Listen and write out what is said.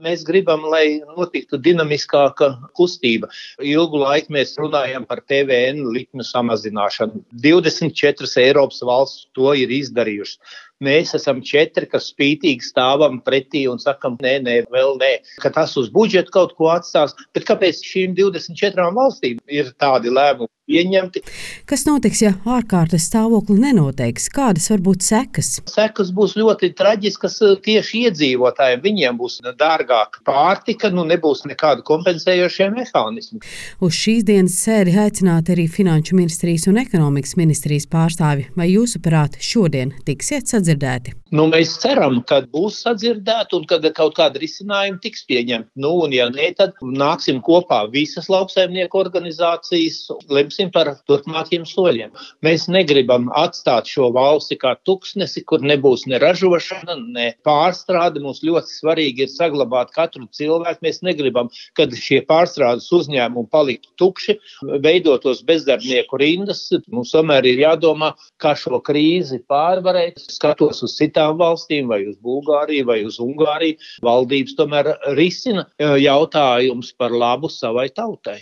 Mēs gribam, lai notiktu dinamiskāka kustība. Ilgu laiku mēs runājam par PVN likmu samazināšanu. 24 Eiropas valsts to ir izdarījušas. Mēs esam 4, kas spītīgi stāvam pretī un sakam, nē, vēl nē, ka tas uz budžetu kaut ko atstās. Bet kāpēc šīm 24 valstīm ir tādi lēmumi pieņemti? Kas notiks, ja ārkārtas stāvokli nenoteiks? Kādas var būt sekas? Sekas būs ļoti traģiskas tieši iedzīvotājiem. Viņiem būs dārgāka pārtika, nebūs nekādu kompensējošie mehānismi. Uz šīs dienas sēdi aicināti arī Finanšu ministrijas un Ekonomikas ministrijas pārstāvi. Vai jūsuprāt šodien tiksiet sadzirdēti? Mēs ceram, ka būs sadzirdēti un ka kaut kāda risinājuma tiks pieņemta. Un ja nē, tad nāksim kopā visas lauksaimnieku organizācijas, lemsim par turpmākiem soļiem. Mēs negribam atstāt šo valsti kā tuksnesi, kur nebūs ne ražošana, ne pārstrāde. Mums ļoti svarīgi ir saglabāt katru cilvēku. Mēs negribam, kad šie pārstrādes uzņēmumi paliktu tukši, veidotos bezdarbnieku rindas. Mums tomēr ir jādomā, kā šo krīzi pārvarēt. Skatos uz citām valstīm, vai uz Bulgāriju, vai uz Ungāriju. Valdības tomēr risina jautājums par labu savai tautai.